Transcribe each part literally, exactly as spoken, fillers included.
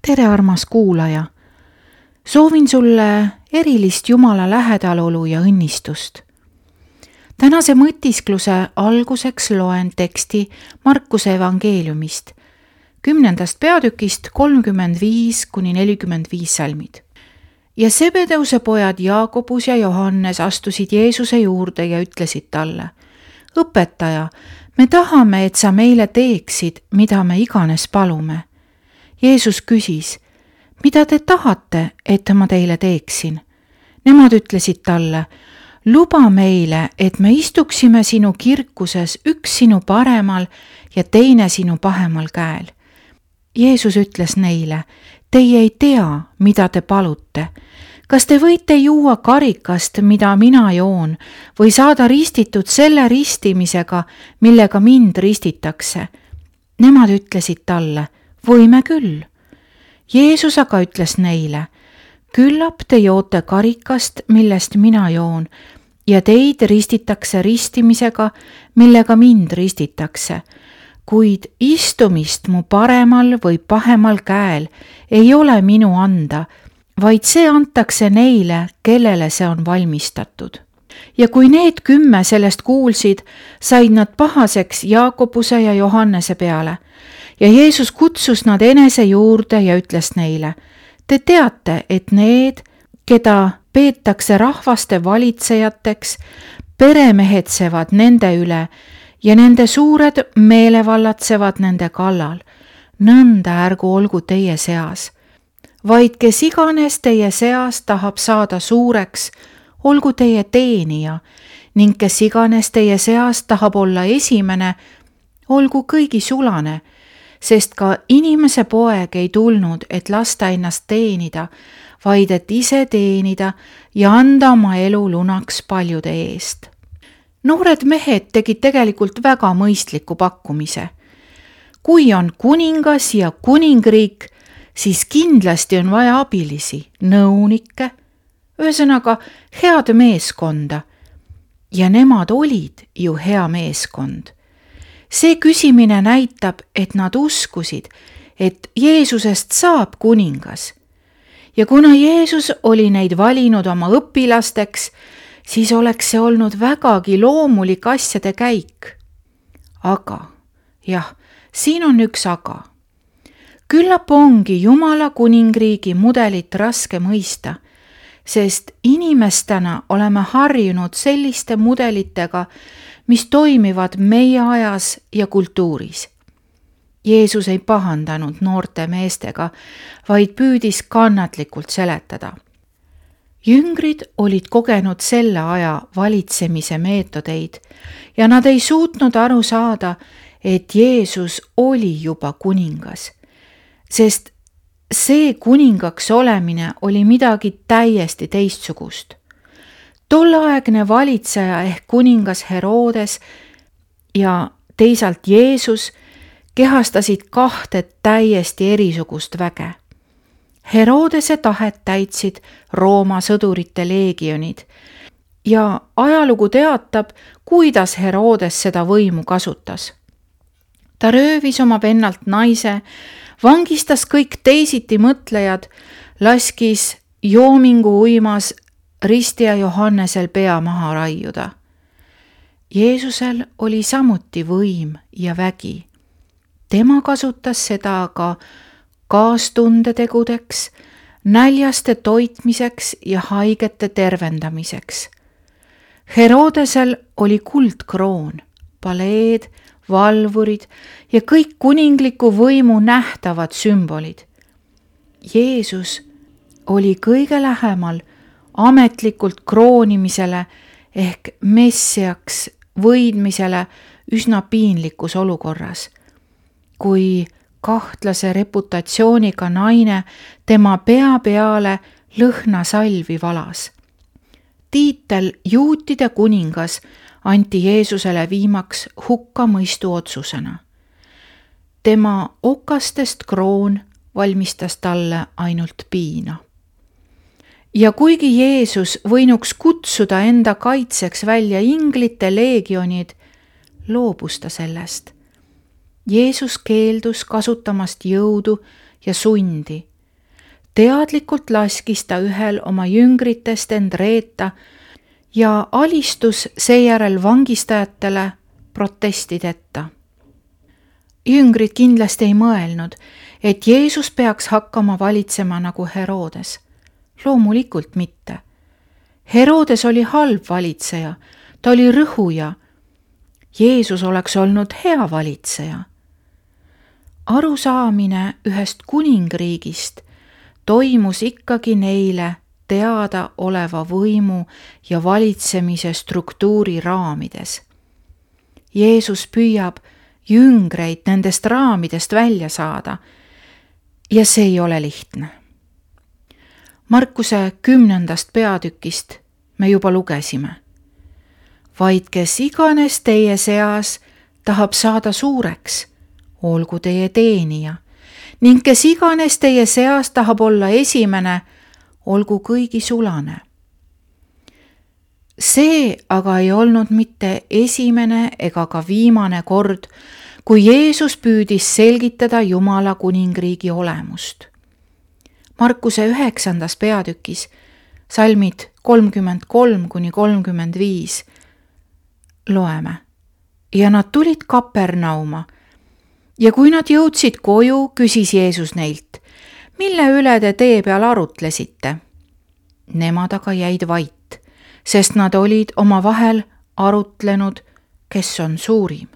tere, armas kuulaja! Soovin sulle erilist Jumala lähedalolu ja õnnistust. Tänase mõtiskluse alguseks loen teksti Markuse evangeeliumist, kümnendast peatükist kolmkümmend viis kuni nelikümmend viis salmid. Ja Sebedeuse pojad Jaakobus ja Johannes astusid Jeesuse juurde ja ütlesid talle: Õpetaja, me tahame, et sa meile teeksid, mida me iganes palume. Jeesus küsis: mida te tahate, et ma teile teeksin? Nemad ütlesid talle: luba meile, et me istuksime sinu kirkuses, üks sinu paremal ja teine sinu pahemal käel. Jeesus ütles neile: teie ei tea, mida te palute. Kas te võite juua karikast, mida mina joon, või saada ristitud selle ristimisega, millega mind ristitakse? Nemad ütlesid talle: võime küll. Jeesus aga ütles neile: küllap te joote karikast, millest mina joon, ja teid ristitakse ristimisega, millega mind ristitakse. Kuid istumist mu paremal või pahemal käel ei ole minu anda, vaid see antakse neile, kellele see on valmistatud. Ja kui need kümme sellest kuulsid, said nad pahaseks Jaakobuse ja Johannese peale. Ja Jeesus kutsus nad enese juurde ja ütles neile: te teate, et need, keda peetakse rahvaste valitsejateks, peremehetsevad nende üle ja nende suured meelevallatsevad nende kallal. Nõnda ärgu olgu teie seas. Vaid kes iganes teie seas tahab saada suureks, olgu teie teenija, ning kes iganes teie seas tahab olla esimene, olgu kõigi sulane, sest ka inimese poeg ei tulnud, et lasta ennast teenida, vaid et ise teenida ja anda oma elu lunaks paljude eest. Noored mehed tegid tegelikult väga mõistliku pakkumise. Kui on kuningas ja kuningriik, siis kindlasti on vaja abilisi, nõunikke, ühesõnaga head meeskonda. Ja nemad olid ju hea meeskond. See küsimine näitab, et nad uskusid, et Jeesusest saab kuningas. Ja kuna Jeesus oli neid valinud oma õpilasteks, siis oleks see olnud vägagi loomulik asjade käik. Aga, jah, siin on üks aga. Küllap ongi Jumala kuningriigi mudelit raske mõista, sest inimestena oleme harjunud selliste mudelitega, mis toimivad meie ajas ja kultuuris. Jeesus ei pahandanud noorte meestega, vaid püüdis kannatlikult seletada. Jüngrid olid kogenud selle aja valitsemise meetodeid ja nad ei suutnud aru saada, et Jeesus oli juba kuningas, sest see kuningaks olemine oli midagi täiesti teistsugust. Tolleaegne valitseja ehk kuningas Herodes ja teisalt Jeesus kehastasid kahte täiesti erisugust väge. Herodese tahet täitsid Rooma sõdurite leegionid ja ajalugu teatab, kuidas Herodes seda võimu kasutas. Ta röövis oma vennalt naise, vangistas kõik teisiti mõtlejad, laskis joomingu uimas ristija Johannesel pea maha raiuda. Jeesusel oli samuti võim ja vägi. Tema kasutas seda aga kaastundetegudeks, näljaste toitmiseks ja haigete tervendamiseks. Herodesel oli kuldkroon, paleed, valvurid ja kõik kuningliku võimu nähtavad sümbolid. Jeesus oli kõige lähemal ametlikult kroonimisele ehk messiaks võidmisele üsna piinlikus olukorras, kui kahtlase reputatsiooniga naine tema pea peale lõhnasalvi valas. Tiitel juutide kuningas anti Jeesusele viimaks hukkamõistu otsusena. Tema okastest kroon valmistas talle ainult piina. Ja kuigi Jeesus võinuks kutsuda enda kaitseks välja inglite leegionid, loobus ta sellest. Jeesus keeldus kasutamast jõudu ja sundi. teadlikult laskis ta ühel oma jüngritest end reeta ja alistus seejärel vangistajatele protestideta. Jüngrid kindlasti ei mõelnud, et Jeesus peaks hakkama valitsema nagu Herodes. Loomulikult mitte. Herodes oli halb valitseja, ta oli rõhuja. Jeesus oleks olnud hea valitseja. Arusaamine ühest kuningriigist toimus ikkagi neile teada oleva võimu ja valitsemise struktuuri raamides. Jeesus püüab jüngreid nendest raamidest välja saada ja see ei ole lihtne. Markuse kümnendast peatükist me juba lugesime. Vaid kes iganes teie seas tahab saada suureks, olgu teie teenija, ning kes iganes teie seas tahab olla esimene, olgu kõigi sulane. See aga ei olnud mitte esimene ega ka viimane kord, kui Jeesus püüdis selgitada Jumala kuningriigi olemust. Markuse üheksandas peatükis, salmid kolmkümmend kolm kuni kolmkümmend viis, loeme. Ja nad tulid Kapernauma ja kui nad jõudsid koju, küsis Jeesus neilt, mille üle te tee peal arutlesite? Nemad aga jäid vait, sest nad olid oma vahel arutlenud, kes on suurim.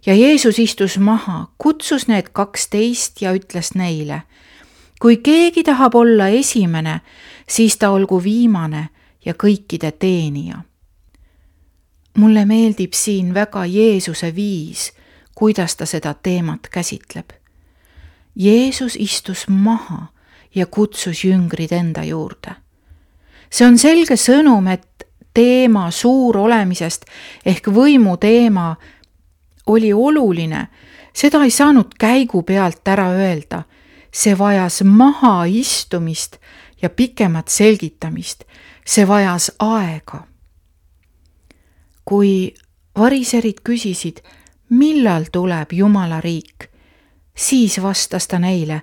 Ja Jeesus istus maha, kutsus need kaksteist ja ütles neile, kui keegi tahab olla esimene, siis ta olgu viimane ja kõikide teenija. Mulle meeldib siin väga Jeesuse viis, kuidas ta seda teemat käsitleb. Jeesus istus maha ja kutsus jüngrid enda juurde. See on selge sõnum, et teema suur olemisest ehk võimu teema oli oluline. Seda ei saanud käigu pealt ära öelda. See vajas maha istumist ja pikemat selgitamist. See vajas aega. Kui variserid küsisid, millal tuleb Jumala riik, siis vastas ta neile,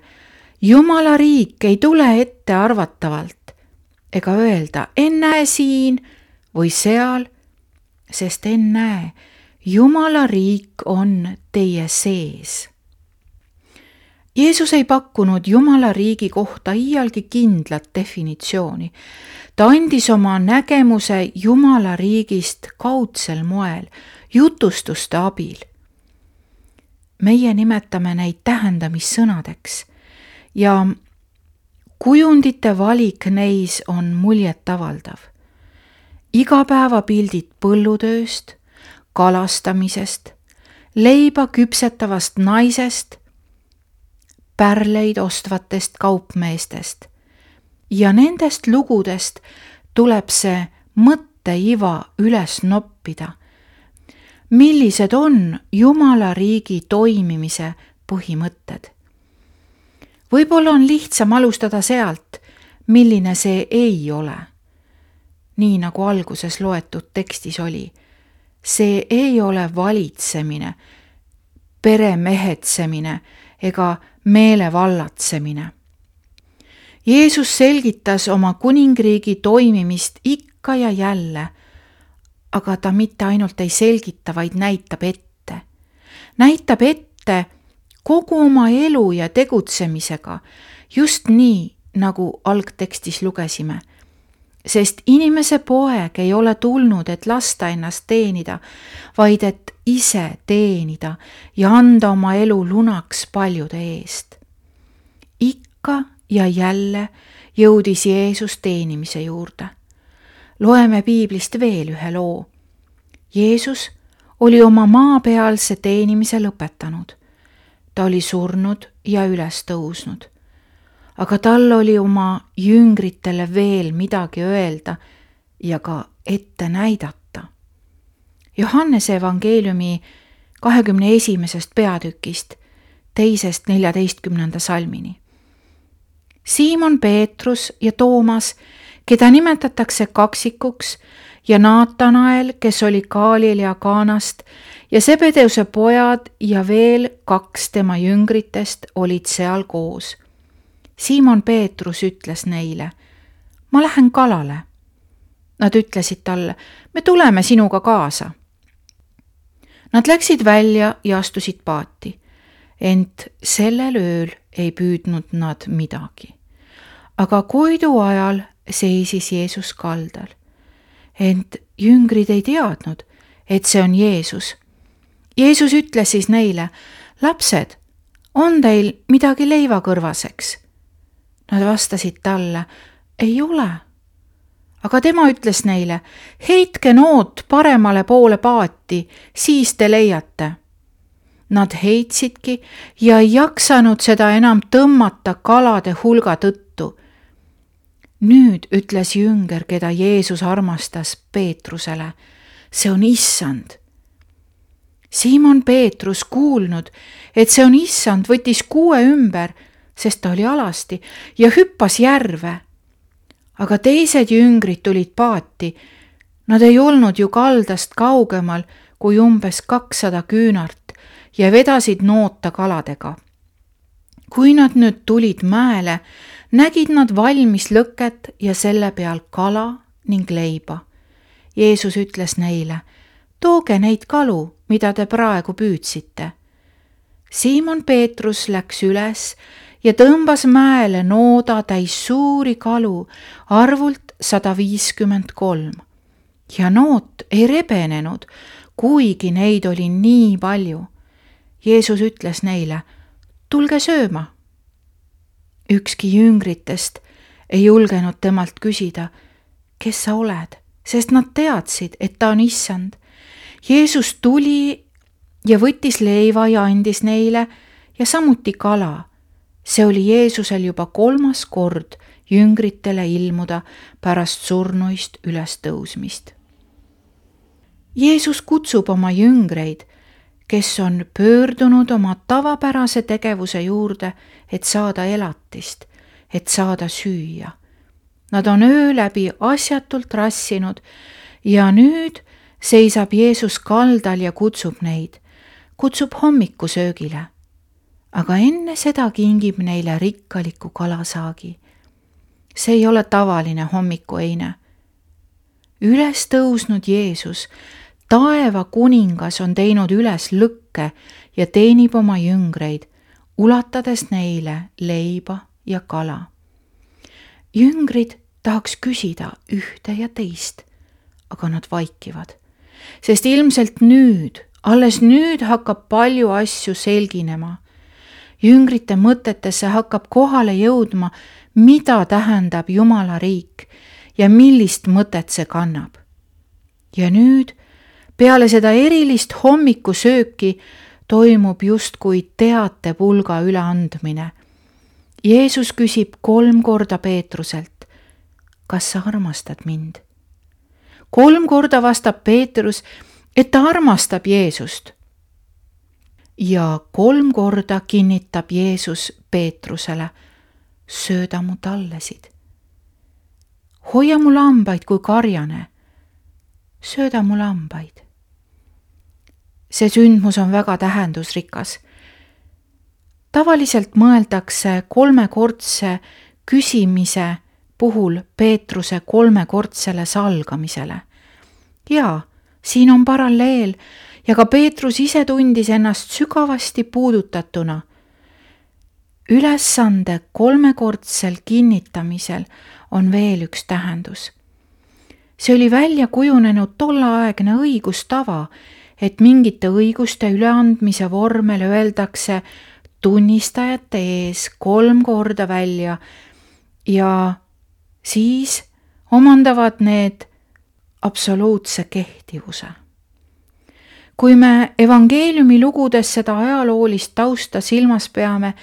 Jumala riik ei tule ette arvatavalt ega öelda ennäe siin või seal, sest ennäe, Jumala riik on teie sees. Jeesus ei pakkunud Jumala riigi kohta iialgi kindlat definitsiooni. Ta andis oma nägemuse Jumala riigist kaudsel moel, jutustuste abil. Meie nimetame neid tähendamissõnadeks ja kujundite valik neis on muljetavaldav. Igapäevapildid põllutööst, kalastamisest, leiba küpsetavast naisest, pärleid ostvatest kaupmeestest ja nendest lugudest tuleb see mõtteiva üles noppida. Millised on Jumala riigi toimimise põhimõtted? Võib-olla on lihtsam alustada sealt, milline see ei ole. Nii nagu alguses loetud tekstis oli. See ei ole valitsemine, peremehetsemine ega meelevallatsemine. Jeesus selgitas oma kuningriigi toimimist ikka ja jälle, aga ta mitte ainult ei selgita, vaid näitab ette. Näitab ette kogu oma elu ja tegutsemisega, just nii, nagu algtekstis lugesime. Sest inimese poeg ei ole tulnud, et lasta ennast teenida, vaid et ise teenida ja anda oma elu lunaks paljude eest. Ikka ja jälle jõudis Jeesus teenimise juurde. Loeme piiblist veel ühe loo. Jeesus oli oma maapealse teenimise lõpetanud. Ta oli surnud ja üles tõusnud. Aga tal oli oma jüngritele veel midagi öelda ja ka ette näidata. Johannese evangeeliumi kahekümne esimesest peatükist, teisest neljateistkümnenda salmini. Siimon Peetrus ja Toomas, keda nimetatakse kaksikuks, ja Naatanael, kes oli Galiilea Kaanast, ja Sebedeuse pojad ja veel kaks tema jüngritest olid seal koos. Siimon Peetrus ütles neile: ma lähen kalale. Nad ütlesid talle: me tuleme sinuga kaasa. Nad läksid välja ja astusid paati, ent sellel ööl ei püüdnud nad midagi. Aga koidu ajal seisis Jeesus kaldal, ent jüngrid ei teadnud, et see on Jeesus. Jeesus ütles siis neile: lapsed, on teil midagi leivakõrvaseks? Nad vastasid talle: ei ole. Aga tema ütles neile: heitke noot paremale poole paati, siis te leiate. Nad heitsidki ja ei jaksanud seda enam tõmmata kalade hulga tõttu. Nüüd ütles jünger, keda Jeesus armastas, Peetrusele: see on issand. Siimon Peetrus kuulnud, et see on issand, võttis kuue ümber, sest ta oli alasti, ja hüppas järve. Aga teised jüngrid tulid paati. Nad ei olnud ju kaldast kaugemal kui umbes kakssada küünart ja vedasid noota kaladega. Kui nad nüüd tulid mäele, nägid nad valmis lõket ja selle peal kala ning leiba. Jeesus ütles neile: tooge neid kalu, mida te praegu püüdsite. Siimon Peetrus läks üles ja tõmbas mäele nooda täis suuri kalu, arvult sada viiskümmend kolm. Ja noot ei rebenenud, kuigi neid oli nii palju. Jeesus ütles neile: tulge sööma. Ükski jüngritest ei julgenud temalt küsida: kes sa oled, sest nad teadsid, et ta on issand. Jeesus tuli ja võttis leiva ja andis neile ja samuti kala. See oli Jeesusel juba kolmas kord jüngritele ilmuda pärast surnuist üles tõusmist. Jeesus kutsub oma jüngreid, kes on pöördunud oma tavapärase tegevuse juurde, et saada elatist, et saada süüa. Nad on öö läbi asjatult rassinud ja nüüd seisab Jeesus kaldal ja kutsub neid, kutsub hommikusöögile. Aga enne seda kingib neile rikkaliku kalasaagi. See ei ole tavaline hommikueine. Üles tõusnud Jeesus, taeva kuningas, on teinud üles lõkke ja teenib oma jüngreid, ulatades neile leiba ja kala. Jüngrid tahaks küsida ühte ja teist, aga nad vaikivad, sest ilmselt nüüd, alles nüüd hakkab palju asju selginema. Jüngrite mõtetesse hakkab kohale jõudma, mida tähendab Jumala riik ja millist mõtet see kannab. Ja nüüd, peale seda erilist hommikusööki, toimub justkui teatepulga üleandmine. Jeesus küsib kolm korda Peetruselt: kas sa armastad mind? Kolm korda vastab Peetrus, et ta armastab Jeesust. Ja kolm korda kinnitab Jeesus Peetrusele: sööda mu tallesid. Hoia mu lambaid kui karjane. Sööda mu lambaid. See sündmus on väga tähendusrikas. Tavaliselt mõeldakse kolmekordse küsimise puhul Peetruse kolmekordsele salgamisele. Jaa, siin on paralleel ja ka Peetrus ise tundis ennast sügavasti puudutatuna. Ülesande kolmekordsel kinnitamisel on veel üks tähendus. See oli välja kujunenud tolleaegne õigustava, et mingite õiguste üleandmise vormel öeldakse tunnistajate ees kolm korda välja ja siis omandavad need absoluutse kehtivuse. Kui me evangeeliumi lugudes seda ajaloolist tausta silmas peame,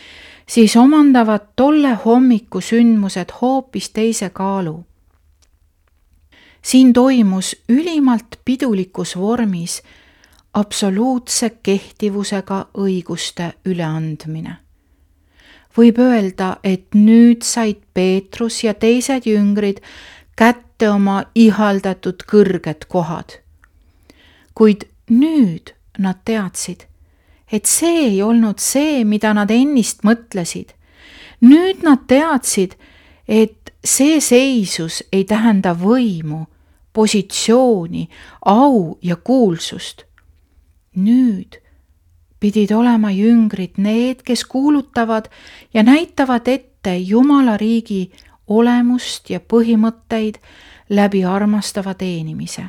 siis omandavad tolle hommiku sündmused hoopis teise kaalu. Siin toimus ülimalt pidulikus vormis absoluutse kehtivusega õiguste üleandmine. Võib öelda, et nüüd said Peetrus ja teised jüngrid kätte oma ihaldatud kõrged kohad. Kuid nüüd nad teadsid, et see ei olnud see, mida nad ennist mõtlesid. nüüd nad teadsid, et see seisus ei tähenda võimu, positsiooni, au ja kuulsust. Nüüd pidid olema jüngrid need, kes kuulutavad ja näitavad ette Jumala riigi olemust ja põhimõtteid läbi armastava teenimise.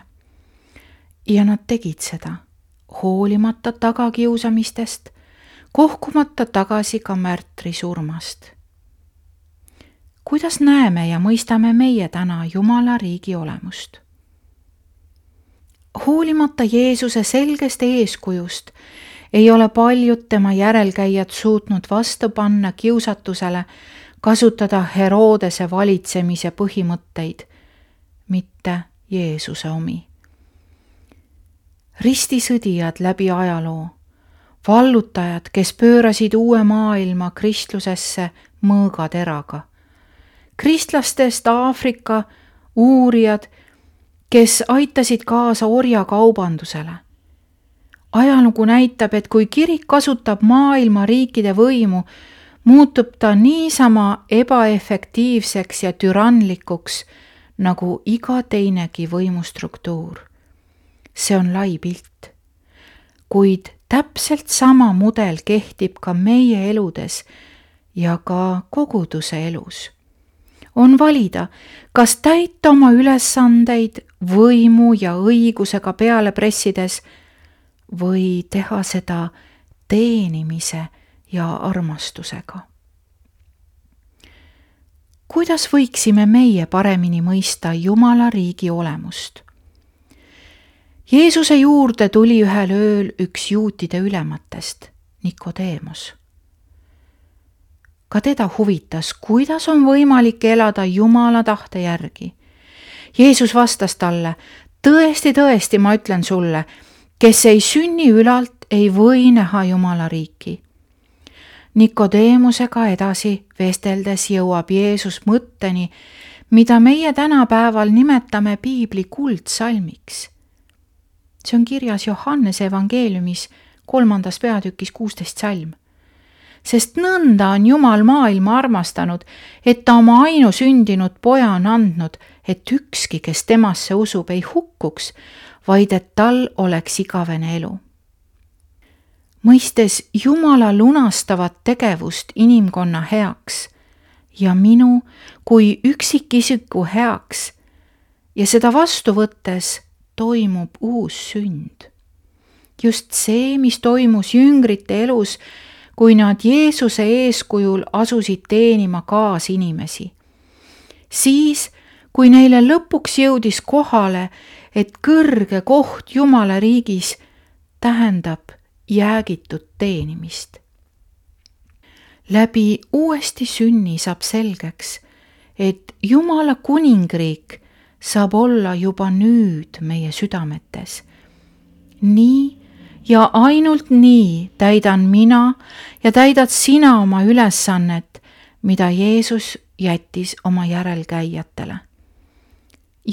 Ja nad tegid seda, hoolimata tagakiusamistest, kohkumata tagasi ka märtri surmast. Kuidas näeme ja mõistame meie täna Jumala riigi olemust? Hoolimata Jeesuse selgest eeskujust ei ole paljud tema järelkäijad suutnud vastu panna kiusatusele kasutada Herodese valitsemise põhimõtteid, mitte Jeesuse omi. Ristisõdijad läbi ajaloo, vallutajad, kes pöörasid uue maailma kristlusesse mõõgateraga, kristlastest Aafrika uurijad, kes aitasid kaasa orjakaubandusele. Ajalugu näitab, et kui kirik kasutab maailma riikide võimu, muutub ta niisama ebaefektiivseks ja türanlikuks nagu iga teinegi võimustruktuur. See on lai pilt, kuid täpselt sama mudel kehtib ka meie eludes ja ka koguduse elus. On valida, kas täita oma ülesandeid võimu ja õigusega peale pressides või teha seda teenimise ja armastusega. Kuidas võiksime meie paremini mõista Jumala riigi olemust? Jeesuse juurde tuli ühel ööl üks juutide ülematest, Nikodeemos. Ka teda huvitas, kuidas on võimalik elada Jumala tahte järgi. Jeesus vastas talle, tõesti, tõesti, ma ütlen sulle, kes ei sünni ülalt, ei või näha Jumala riiki. Nikodeemusega edasi vesteldes jõuab Jeesus mõtteni, mida meie tänapäeval nimetame piibli kuldsalmiks. See on kirjas Johannese evangeeliumis kolmandas peatükis kuusteist salm. Sest nõnda on Jumal maailma armastanud, et ta oma ainusündinud poja on andnud, et ükski, kes temasse usub, ei hukkuks, vaid et tal oleks igavene elu. Mõistes Jumala lunastavat tegevust inimkonna heaks ja minu kui üksikisiku heaks ja seda vastu võttes toimub uus sünd. Just see, mis toimus jüngrite elus, kui nad Jeesuse eeskujul asusid teenima kaasinimesi. Siis, kui neile lõpuks jõudis kohale, et kõrge koht Jumala riigis tähendab jäägitud teenimist. Läbi uuesti sünni saab selgeks, et Jumala kuningriik saab olla juba nüüd meie südametes. Nii ja ainult nii täidan mina ja täidad sina oma ülesannet, mida Jeesus jättis oma järelkäijatele.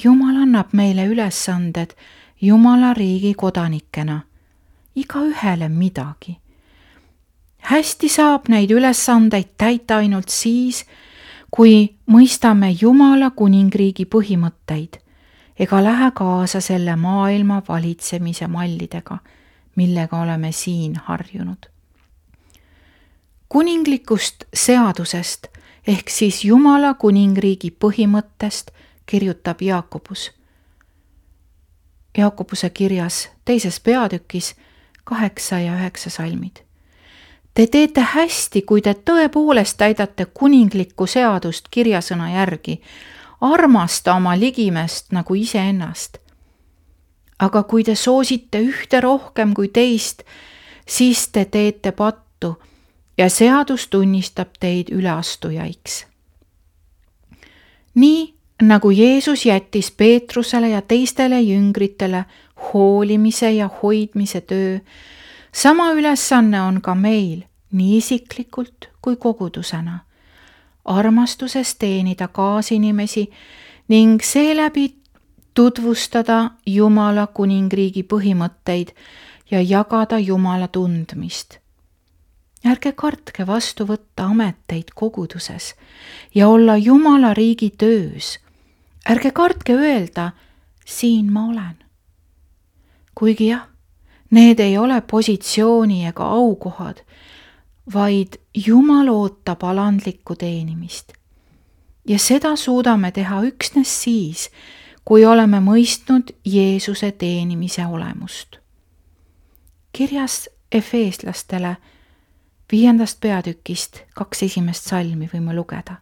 Jumal annab meile ülesanded Jumala riigi kodanikena, iga ühele midagi. Hästi saab neid ülesandeid täita ainult siis, kui mõistame Jumala kuningriigi põhimõtteid ega lähe kaasa selle maailma valitsemise mallidega, millega oleme siin harjunud. Kuninglikust seadusest ehk siis Jumala kuningriigi põhimõttest kirjutab Jaakobus. Jaakobuse kirjas teises peatükis kaheksa ja üheksa salmid. Te teete hästi, kui te tõepoolest täidate kuninglikku seadust kirjasõna järgi, armasta oma ligimest nagu iseennast. Aga kui te soosite ühte rohkem kui teist, siis te teete pattu ja seadus tunnistab teid üleastujaiks. Nii nagu Jeesus jättis Peetrusele ja teistele jüngritele hoolimise ja hoidmise töö, sama ülesanne on ka meil, nii isiklikult kui kogudusena, armastuses teenida kaasinimesi ning seeläbi tutvustada Jumala kuningriigi põhimõtteid ja jagada Jumala tundmist. ärge kartke vastu võtta ameteid koguduses ja olla Jumala riigi töös. ärge kartke öelda, siin ma olen. kuigi jah, need ei ole positsiooni ega aukohad, vaid Jumal ootab alandlikku teenimist. ja seda suudame teha üksnes siis, kui oleme mõistnud Jeesuse teenimise olemust. Kirjas Efeeslastele viiendast peatükist kaks esimest salmi võime lugeda.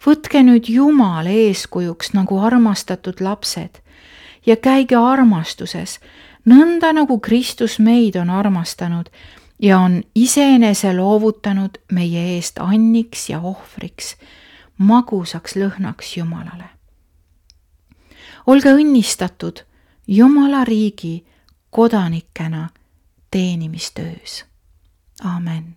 Võtke nüüd Jumal eeskujuks nagu armastatud lapsed ja käige armastuses, nõnda nagu Kristus meid on armastanud ja on iseenese loovutanud meie eest anniks ja ohvriks, magusaks lõhnaks Jumalale. olge õnnistatud Jumala riigi kodanikena teenimistöös. Amen.